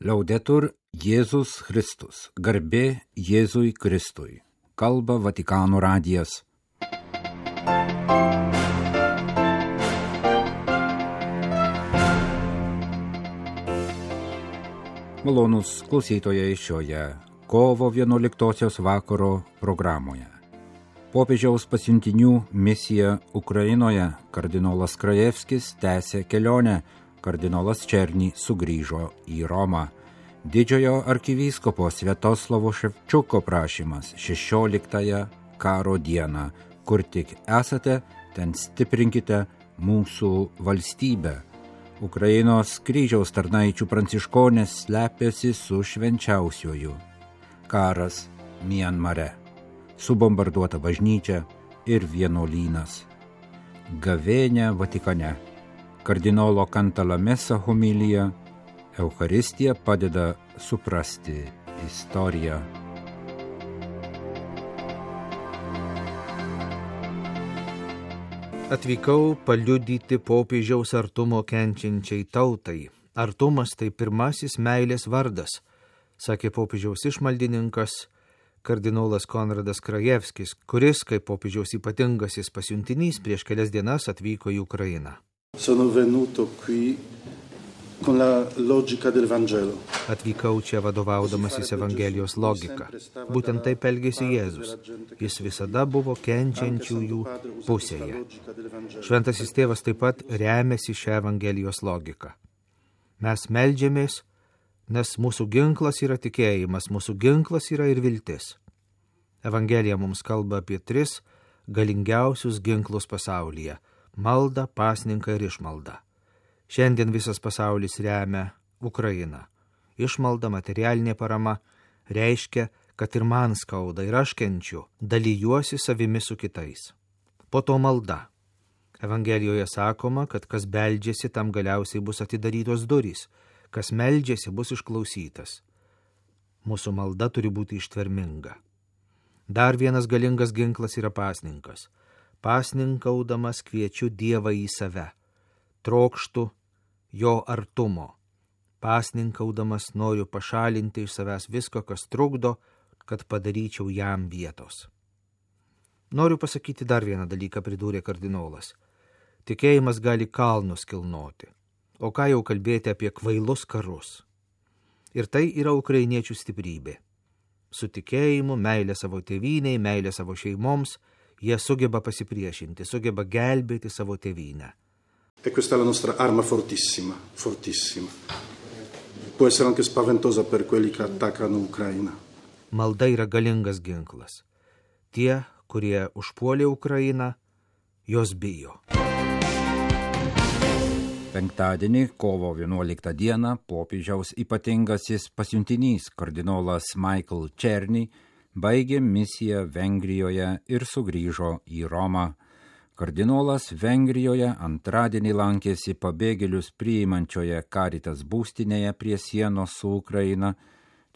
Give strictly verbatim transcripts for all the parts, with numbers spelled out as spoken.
Laudetur Jėzus Kristus, garbė Jėzui Kristui, kalba Vatikano radijas. Malonūs klausytojai šioje kovo vienuoliktosios vakaro programoje. Popiežiaus pasiuntinių misija Ukrainoje kardinolas Krajevskis tęsė kelionę, kardinolas Černy sugrįžo į Romą. Didžiojo arkivyskupo Sviatoslavo Ševčiuko prašymas šešioliktąją karo dieną, kur tik esate, ten stiprinkite mūsų valstybę. Ukrainos kryžiaus tarnaičių pranciškonės slepiasi su švenčiausiuoju. Karas Mianmare, subombarduota bažnyčia ir vienuolynas. Gavėnia Vatikane. Kardinolo Cantalamessa homilija. Eucharistija padeda suprasti istoriją. Atvykau paliudyti popiežiaus artumo kenčiančiai tautai. Artumas tai pirmasis meilės vardas, sakė popiežiaus išmaldininkas kardinolas Konradas Krajevskis, kuris, kaip popiežiaus ypatingasis pasiuntinys, prieš kelias dienas atvyko į Ukrainą. Sono venuto qui con la logica del Vangelo. Atvykau čia vadovaudamasis Evangelijos logika. Būtent taip elgėsi Jėzus. Jis visada buvo kenčiančiųjų pusėje. Šventasis tėvas taip pat remiasi šią Evangelijos logiką. Mes meldžiamės, nes mūsų ginklas yra tikėjimas, mūsų ginklas yra ir viltis. Evangelija mums kalba apie tris galingiausius ginklus pasaulyje – maldą, pasninką ir išmaldą. Šiandien visas pasaulis remia Ukrainą. Išmalda, materialinė parama reiškia, kad ir man skauda ir aš kenčiu, dalijuosi savimi su kitais. Po to malda. Evangelijoje sakoma, kad kas beldžiasi, tam galiausiai bus atidarytos durys, kas meldžiasi, bus išklausytas. Mūsų malda turi būti ištverminga. Dar vienas galingas ginklas yra pasninkas. Pasninkaudamas kviečiu Dievą į save. Trokštu jo artumo. Pasninkaudamas noriu pašalinti iš savęs visko, kas trukdo, kad padaryčiau jam vietos. Noriu pasakyti dar vieną dalyką, pridūrė kardinolas. Tikėjimas gali kalnus kilnoti, o ką jau kalbėti apie kvailus karus. Ir tai yra ukrainiečių stiprybė. Su tikėjimu, meilė savo tėvynei, meilė savo šeimoms, jie sugeba pasipriešinti, sugeba gelbėti savo tėvynę. E questa è la nostra arma fortissima, fortissima. Può essere anche spaventosa per quelli che attaccano Ucraina. Malda yra galingas ginklas. Tie, kurie užpuolė Ukrainą, jos bijo. Penktadienį, kovo vienuoliktą dieną, popiežiaus ypatingasis pasiuntinys kardinolas Michael Černy baigė misiją Vengrijoje ir sugrįžo į Romą. Kardinolas Vengrijoje antradienį lankėsi pabėgėlius priimančioje Caritas būstinėje prie sienos su Ukraina,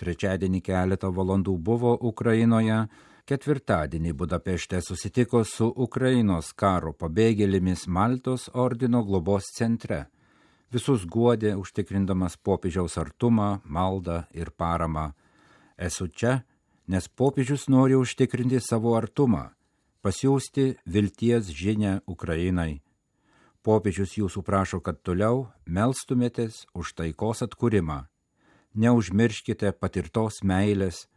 trečiadienį keletą valandų buvo Ukrainoje, ketvirtadienį Budapešte susitiko su Ukrainos karo pabėgėlėmis Maltos ordino globos centre. Visus guodė užtikrindamas popiežiaus artumą, maldą ir paramą. Esu čia, nes popiežius nori užtikrinti savo artumą, pasiųsti vilties žinią Ukrainai. Popiežius jūsų prašo, kad toliau melstumėtės už taikos atkūrimą. Neužmirškite patirtos meilės,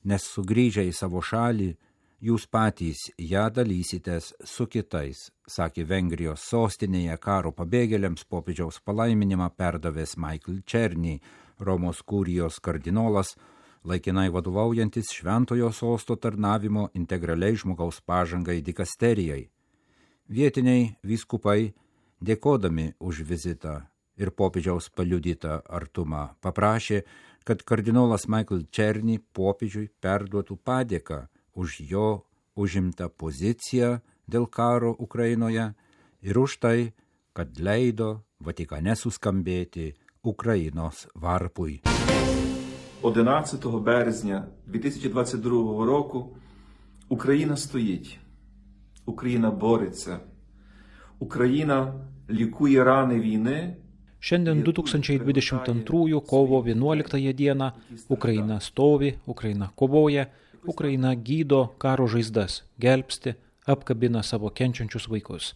nes sugrįžę į savo šalį, jūs patys ją dalysitės su kitais, sakė Vengrijos sostinėje karo pabėgėliams popiežiaus palaiminimą perdavęs Michael Černy, Romos kurijos kardinolas, laikinai vadovaujantis šventojo sosto tarnavimo integraliai žmogaus pažangai dikasterijai. Vietiniai vyskupai, dėkodami už vizitą ir popiežiaus paliudytą artumą, paprašė, kad kardinolas Michael Černy popiežiui perduotų padėką už jo užimtą poziciją dėl karo Ukrainoje ir už tai, kad leido Vatikane suskambėti Ukrainos varpui. одинадцятого березня дві тисячі двадцять другого року Україна стоїть, Україна бореться, Україна лікує рани війни, Šiandien du tūkstančiai dvidešimt antrųjų kovo vienuoliktąją dieną Ukraina stovi, Ukraina kovoja, Ukraina gydo karo žaizdas, gelbsti, apkabina savo kenčiančius vaikus.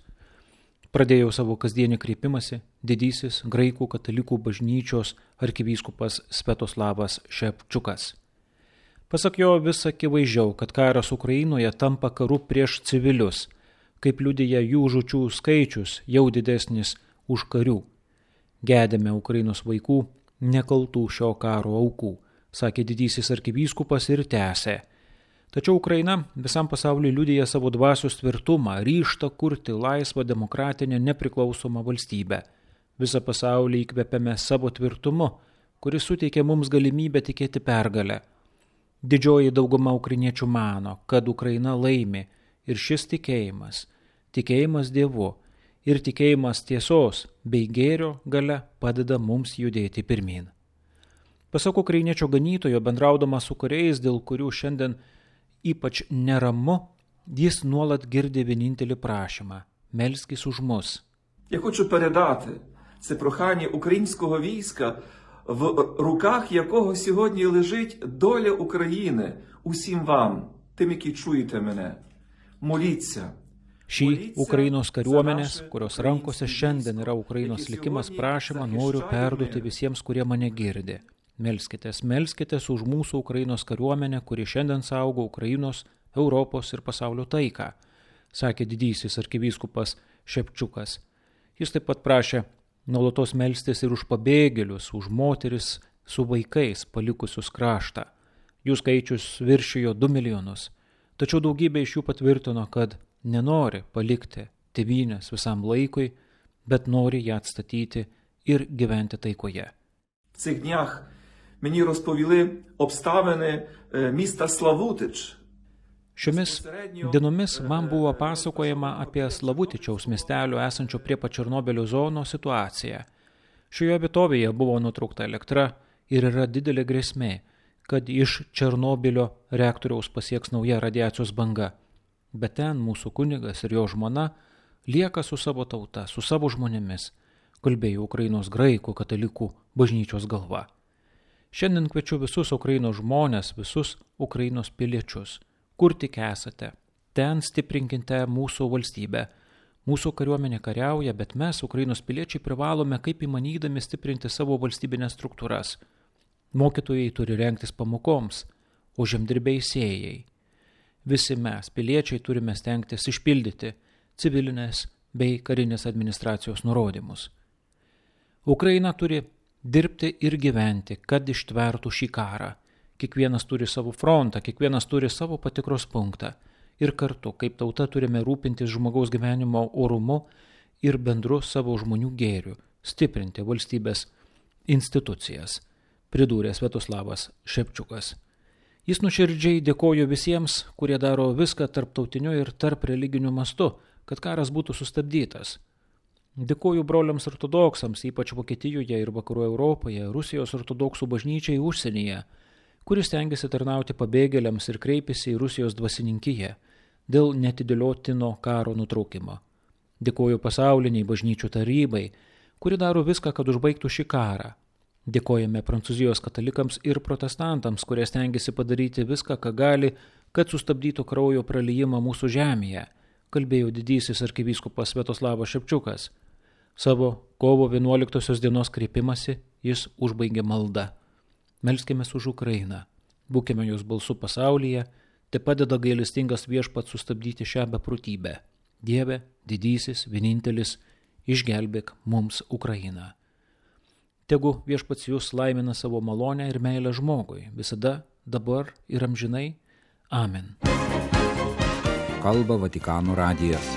Pradėjau savo kasdienį kreipimąsi didysis graikų katalikų bažnyčios arkivyskupas Sviatoslavas Šepčiukas. Pasak jo, vis akivaizdžiau, kad karas Ukrainoje tampa karu prieš civilius, kaip liudija jų žūčių skaičius jau didesnis už karių. Gedėme Ukrainos vaikų, nekaltų šio karo aukų, sakė didysis arkivyskupas ir tęsė. Tačiau Ukraina visam pasauliu liudija savo dvasios tvirtumą, ryžtą kurti laisvą, demokratinę, nepriklausomą valstybę. Visą pasaulį įkvepiame savo tvirtumu, kuris suteikia mums galimybę tikėti pergalę. Didžioji dauguma ukrainiečių mano, kad Ukraina laimi ir šis tikėjimas, tikėjimas Dievu ir tikėjimas tiesos bei gėrio galia padeda mums judėti pirmyn. Pasak ukrainiečio ganytojo, bendraudamas su kariais, dėl kurių šiandien ypač neramu, jis nuolat girdi vienintelį prašymą – melskis už mus. Я хочу передати це прохання українського війська, в руках якого сьогодні лежить доля України усім вам, тим, які чуєте мене. Моліться. Šį Ukrainos kariuomenės, kurios rankose šiandien yra Ukrainos likimas, prašymą noriu perduoti visiems, kurie mane girdi. Melskitės, melskitės už mūsų Ukrainos kariuomenę, kuri šiandien saugo Ukrainos, Europos ir pasaulio taiką, sakė didysis arkivyskupas Šepčiukas. Jis taip pat prašė nuolatos melstis ir už pabėgėlius, už moteris su vaikais palikusius kraštą. Jų skaičius viršijo du milijonus, tačiau daugybė iš jų patvirtino, kad nenori palikti tėvynės visam laikui, bet nori ją atstatyti ir gyventi taikoje. В цих днях мені розповіли обставини міста Славутич. Šiomis dienomis man buvo pasakojama apie Slavutičiaus miestelio esančio prie pat Černobylio zonos situaciją. Šioje vietovėje buvo nutraukta elektra ir yra didelė grėsmė, kad iš Černobylio reaktoriaus pasieks nauja radiacijos banga. Bet ten mūsų kunigas ir jo žmona lieka su savo tauta, su savo žmonėmis, kalbėjo Ukrainos graikų katalikų bažnyčios galva. Šiandien kviečiu visus Ukrainos žmonės, visus Ukrainos piliečius, kur tik esate, ten stiprinkite mūsų valstybę. Mūsų kariuomenė kariauja, bet mes, Ukrainos piliečiai, privalome kaip įmanydami stiprinti savo valstybinės struktūras. Mokytojai turi rengtis pamokoms, o žemdirbiai sėjai. Visi mes, piliečiai, turime stengtis išpildyti civilinės bei karinės administracijos nurodymus. Ukraina turi dirbti ir gyventi, kad ištvertų šį karą. Kiekvienas turi savo frontą, kiekvienas turi savo patikros punktą. Ir kartu, kaip tauta, turime rūpintis žmogaus gyvenimo orumu ir bendru savo žmonių gėriu, stiprinti valstybės institucijas, pridūrė Sviatoslavas Šepčiukas. Jis nuoširdžiai dėkojo visiems, kurie daro viską tarptautiniu ir tarp religiniu mastu, kad karas būtų sustabdytas. Dėkoju broliams ortodoksams, ypač Vokietijoje ir Vakarų Europoje, Rusijos ortodoksų bažnyčiai užsienyje, kuris stengiasi tarnauti pabėgėliams ir kreipėsi į Rusijos dvasininkiją dėl netidėliotino karo nutraukimo. Dėkoju pasauliniai bažnyčių tarybai, kuri daro viską, kad užbaigtų šį karą. Dėkojame Prancūzijos katalikams ir protestantams, kurie stengiasi padaryti viską, ką gali, kad sustabdytų kraujo praliejimą mūsų žemėje, kalbėjo didysis arkivyskupas Sviatoslavas Šepčiukas. Savo kovo vienuoliktosios dienos kreipimąsi jis užbaigė maldą. Melskimės už Ukrainą, būkime jos balsu pasaulyje, te padeda gailestingas viešpats sustabdyti šią beprotybę. Dieve, didysis, vienintelis, išgelbėk mums Ukrainą. Tegu viešpats jūs laimina savo malonę ir meilę žmogui, visada, dabar ir amžinai. Amen. Kalba Vatikano radijas.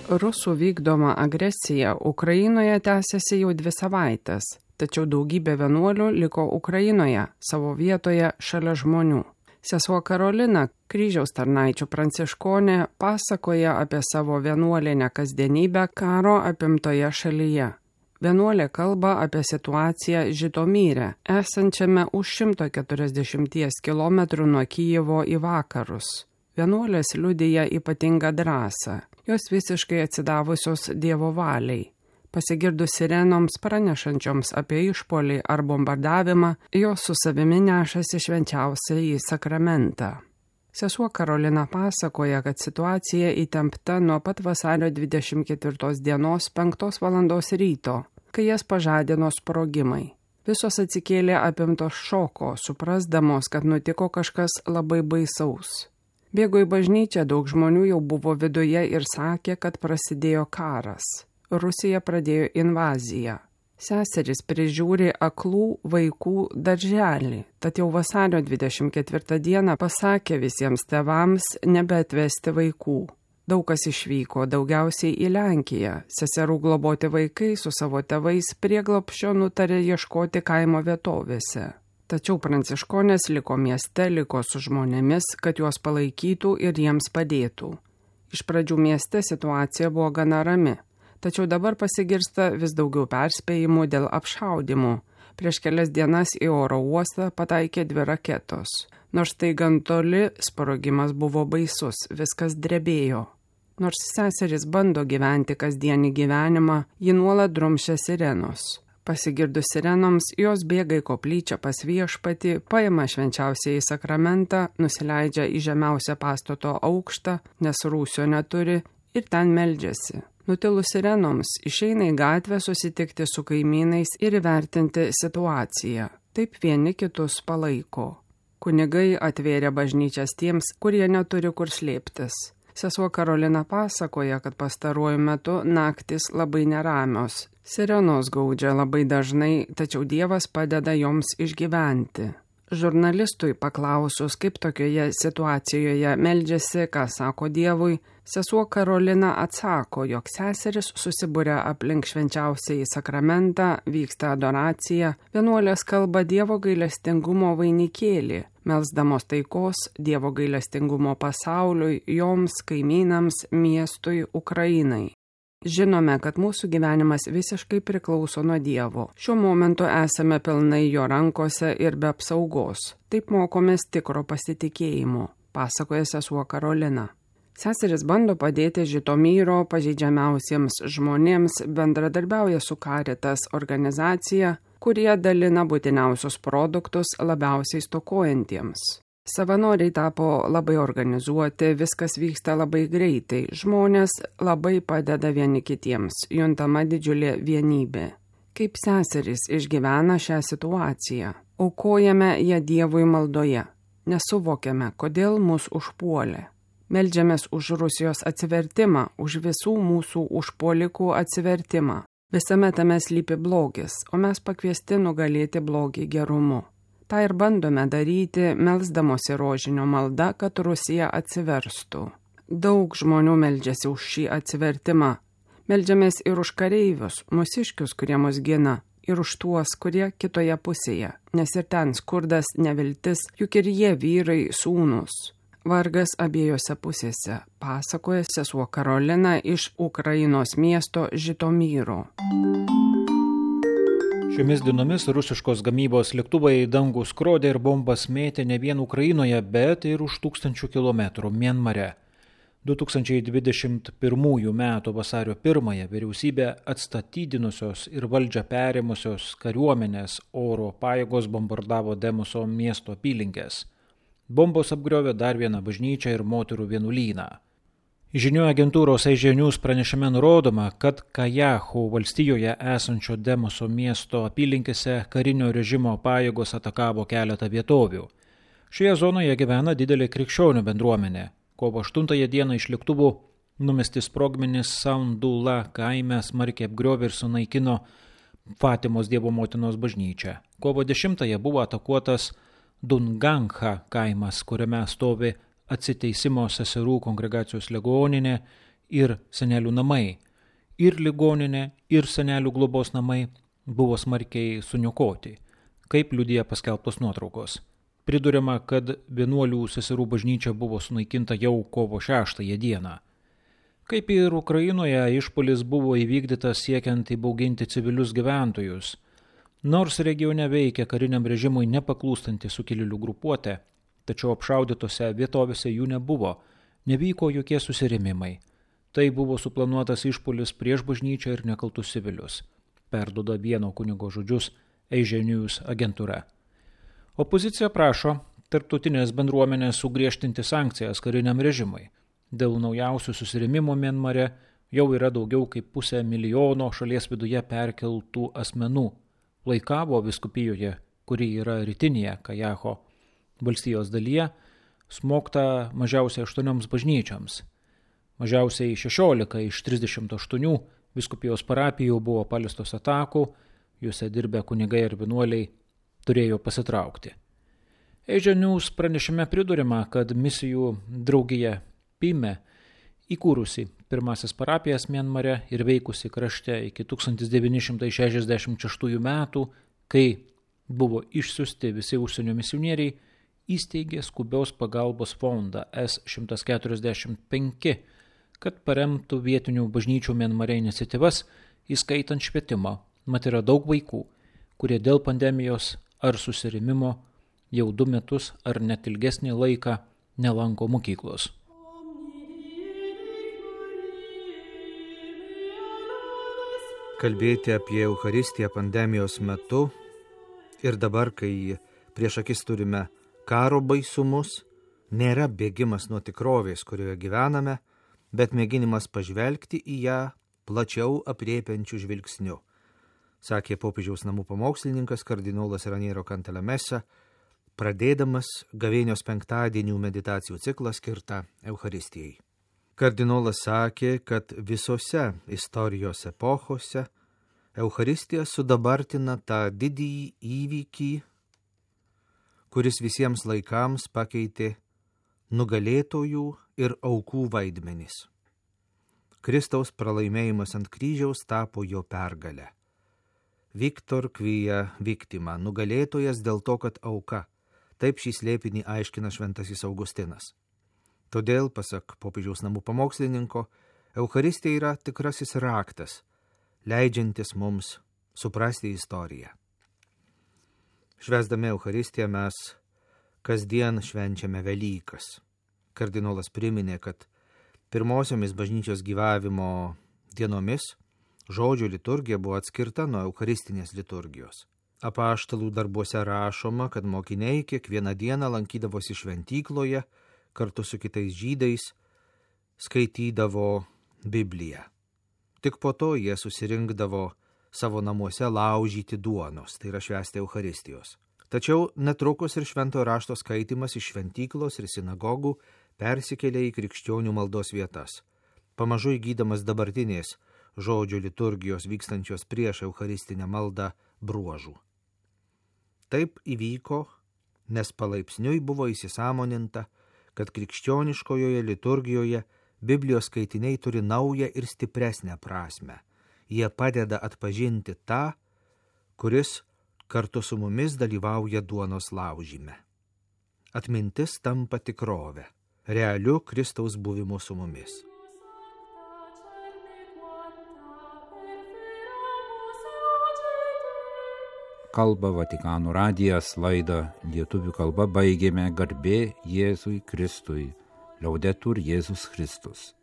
Rusų vykdoma agresija Ukrainoje tęsiasi jau dvi savaitės, tačiau daugybė vienuolių liko Ukrainoje, savo vietoje šalia žmonių. Sesuo Karolina, kryžiaus tarnaičių pranciškonė, pasakoja apie savo vienuolinę kasdienybę karo apimtoje šalyje. Vienuolė kalba apie situaciją Žitomyre, esančiame už šimto keturiasdešimties kilometrų nuo Kijevo į vakarus. Vienuolės liudija ypatingą drąsą, jos visiškai atsidavusios Dievo valiai. Pasigirdus sirenoms pranešančioms apie išpuolį ar bombardavimą, jos su savimi nešasi švenčiausiąjį sakramentą. Sesuo Karolina pasakoja, kad situacija įtempta nuo pat vasario dvidešimt ketvirtos dienos penktos valandos ryto, kai jas pažadino sprogimai. Visos atsikėlė apimtos šoko, suprasdamos, kad nutiko kažkas labai baisaus. Bėgo į bažnyčią, daug žmonių jau buvo viduje ir sakė, kad prasidėjo karas. Rusija pradėjo invaziją. Seserys prižiūri aklų vaikų darželį, tad jau vasario dvidešimt ketvirtą dieną pasakė visiems tėvams nebeatvesti vaikų. Daug kas išvyko, daugiausiai į Lenkiją. Seserų globoti vaikai su savo tėvais prieglobsčio nutarė ieškoti kaimo vietovėse. Tačiau pranciškonės liko mieste, liko su žmonėmis, kad juos palaikytų ir jiems padėtų. Iš pradžių mieste situacija buvo gana rami. Tačiau dabar pasigirsta vis daugiau perspėjimų dėl apšaudimų. Prieš kelias dienas į oro uostą pataikė dvi raketos. Nors tai gan toli, sprogimas buvo baisus, viskas drebėjo. Nors seseris bando gyventi kasdienį gyvenimą, ji nuolat drumšia sirenos. Pasigirdus sirenoms, jos bėga į koplyčią pas viešpatį, paima švenčiausiąjį sakramentą, nusileidžia į žemiausią pastato aukštą, nes rūsio neturi, ir ten meldžiasi. Nutilus sirenoms išeina į gatvę susitikti su kaimynais ir įvertinti situaciją. Taip vieni kitus palaiko. Kunigai atvėrė bažnyčias tiems, kurie neturi kur slėptis. Sesuo Karolina pasakoja, kad pastaruoju metu naktis labai neramios. Sirenos gaudžia labai dažnai, tačiau Dievas padeda joms išgyventi. Žurnalistui paklausus, kaip tokioje situacijoje meldžiasi, ką sako Dievui, sesuo Karolina atsako, jog seseris susibūrė aplink švenčiausiąjį sakramentą, vyksta adoracija, vienuolės kalba Dievo gailestingumo vainikėlį, melsdamos taikos, Dievo gailestingumo pasauliui, joms, kaimynams, miestui, Ukrainai. Žinome, kad mūsų gyvenimas visiškai priklauso nuo Dievo. Šiuo momentu esame pilnai jo rankose ir be apsaugos. Taip mokomės tikro pasitikėjimo, pasakoja sesuo Karolina. Seseris bando padėti Žitomyro pažeidžiamiausiems žmonėms, bendradarbiauja su Caritas organizacija, kurie dalina būtiniausius produktus labiausiai stokojantiems. Savanoriai tapo labai organizuoti, viskas vyksta labai greitai, žmonės labai padeda vieni kitiems, juntama didžiulė vienybė. Kaip seserys išgyvena šią situaciją? Aukojame ją Dievui maldoje, nesuvokiame, kodėl mus užpuolė. Meldžiamės už Rusijos atsivertimą, už visų mūsų užpuolikų atsivertimą. Visame tame slypi blogis, o mes pakviesti nugalėti blogį gerumu. Ta ir bandome daryti, melsdamosi rožinio malda, kad Rusija atsiverstų. Daug žmonių meldžiasi už šį atsivertimą. Meldžiamės ir už kareivius, mūsiškius, kurie mus gina, ir už tuos, kurie kitoje pusėje, nes ir ten skurdas, neviltis, juk ir jie vyrai, sūnūs. Vargas abiejose pusėse, pasakoja sesuo Karolina iš Ukrainos miesto Žitomyro. Šiomis dienomis rusiškos gamybos lėktuvai į dangų skrodė ir bombas mėtė ne vien Ukrainoje, bet ir už tūkstančių kilometrų Mianmare. du tūkstančiai dvidešimt pirmųjų metų vasario pirmąją vyriausybė atstatydinusios ir valdžią perėmusios kariuomenės oro pajėgos bombardavo Demoso miesto apylinkes. Bombos apgriovė dar vieną bažnyčią ir moterų vienuolyną. Žinių agentūros Asia News pranešime nurodoma, kad Kajahu valstijoje esančio Demoso miesto apylinkėse karinio režimo pajėgos atakavo keletą vietovių. Šioje zonoje gyvena didelė krikščionių bendruomenė. Kovo aštuntąją dieną iš lėktuvų numesti sprogmenys Saundula kaime smarkiai apgriovė ir sunaikino Fatimos Dievo motinos bažnyčią. Kovo dešimtąją buvo atakuotas Dungangha kaimas, kuriame stovi Atsiteisimo seserų kongregacijos ligoninė ir senelių namai. Ir ligoninė, ir senelių globos namai buvo smarkiai suniokoti, kaip liudija paskelbtos nuotraukos. Priduriama, kad vienuolių seserų bažnyčia buvo sunaikinta jau kovo šeštąją dieną. Kaip ir Ukrainoje, išpuolis buvo įvykdytas siekiant įbauginti civilius gyventojus. Nors regione veikia kariniam režimui nepaklūstanti sukilėlių grupuotė, tačiau apšaudytose vietovėse jų nebuvo, nevyko jokie susirėmimai. Tai buvo suplanuotas išpuolis prieš bažnyčią ir nekaltus civilius, perduoda vieno kunigo žodžius Asia News agentūra. Opozicija prašo tarptautinės bendruomenės sugriežtinti sankcijas kariniam režimui. Dėl naujausių susirėmimų Mianmare jau yra daugiau kaip pusę milijono šalies viduje perkeltų asmenų. Laikavo vyskupijoje, kuri yra rytinėje Kajaho valstijos dalyje, smogta mažiausiai aštuonioms bažnyčioms. Mažiausiai šešiolika iš trisdešimt aštuonių vyskupijos parapijų buvo paliestos atakų, juose dirbę kunigai ir vienuoliai turėjo pasitraukti. Asia News pranešime pridurima, kad misijų draugija Pime, įkūrusi pirmasis parapijas Mianmare ir veikusi krašte iki tūkstantis devyni šimtai šešiasdešimt šeštųjų metų, kai buvo išsiųsti visi užsienio misionieriai, įsteigė skubios pagalbos fondą S šimtas keturiasdešimt penki, kad paremtų vietinių bažnyčių Mianmare iniciatyvas, įskaitant švietimą. Mat yra daug vaikų, kurie dėl pandemijos ar susirėmimo jau du metus ar net ilgesnį laiką nelanko mokyklos. Kalbėti apie Eucharistiją pandemijos metu ir dabar, kai prieš akis turime karo baisumus, nėra bėgimas nuo tikrovės, kurioje gyvename, bet mėginimas pažvelgti į ją plačiau aprėpiančių žvilgsnių, sakė popiežiaus namų pamokslininkas kardinolas Raniero Cantalamessa, pradėdamas gavėnios penktadienių meditacijų ciklą skirtą Eucharistijai. Kardinolas sakė, kad visose istorijos epochose Eucharistija sudabartina tą didįjį įvykį, kuris visiems laikams pakeitė nugalėtojų ir aukų vaidmenis. Kristaus pralaimėjimas ant kryžiaus tapo jo pergalę. Victor quia victima, nugalėtojas dėl to, kad auka. Taip šį slėpinį aiškina šventasis Augustinas. Todėl, pasak popiežiaus namų pamokslininko, Eucharistija yra tikrasis raktas, leidžiantis mums suprasti istoriją. Švęsdami Eucharistiją mes kasdien švenčiame Velykas. Kardinolas priminė, kad pirmosiomis bažnyčios gyvavimo dienomis žodžio liturgija buvo atskirta nuo eucharistinės liturgijos. Apaštalų darbuose rašoma, kad mokiniai kiekvieną dieną lankydavosi šventykloje, kartu su kitais žydais skaitydavo Bibliją. Tik po to jie susirinkdavo savo namuose laužyti duonos, tai yra švęsti Eucharistijos. Tačiau netrukus ir šventojo rašto skaitimas iš šventyklos ir sinagogų persikėlė į krikščionių maldos vietas, pamažu įgydamas dabartinės žodžio liturgijos vykstančios prieš eucharistinę maldą bruožų. Taip įvyko, nes palaipsniui buvo įsisąmoninta, kad krikščioniškojoje liturgijoje Biblijos skaitiniai turi naują ir stipresnę prasmę. Jie padeda atpažinti tą, kuris kartu su mumis dalyvauja duonos laužyme. Atmintis tampa tikrove, realiu Kristaus buvimu su mumis. Kalba Vatikano radijas, laidą lietuvių kalba baigėme. Garbė Jėzui Kristui. Liaudetur Jėzus Kristus.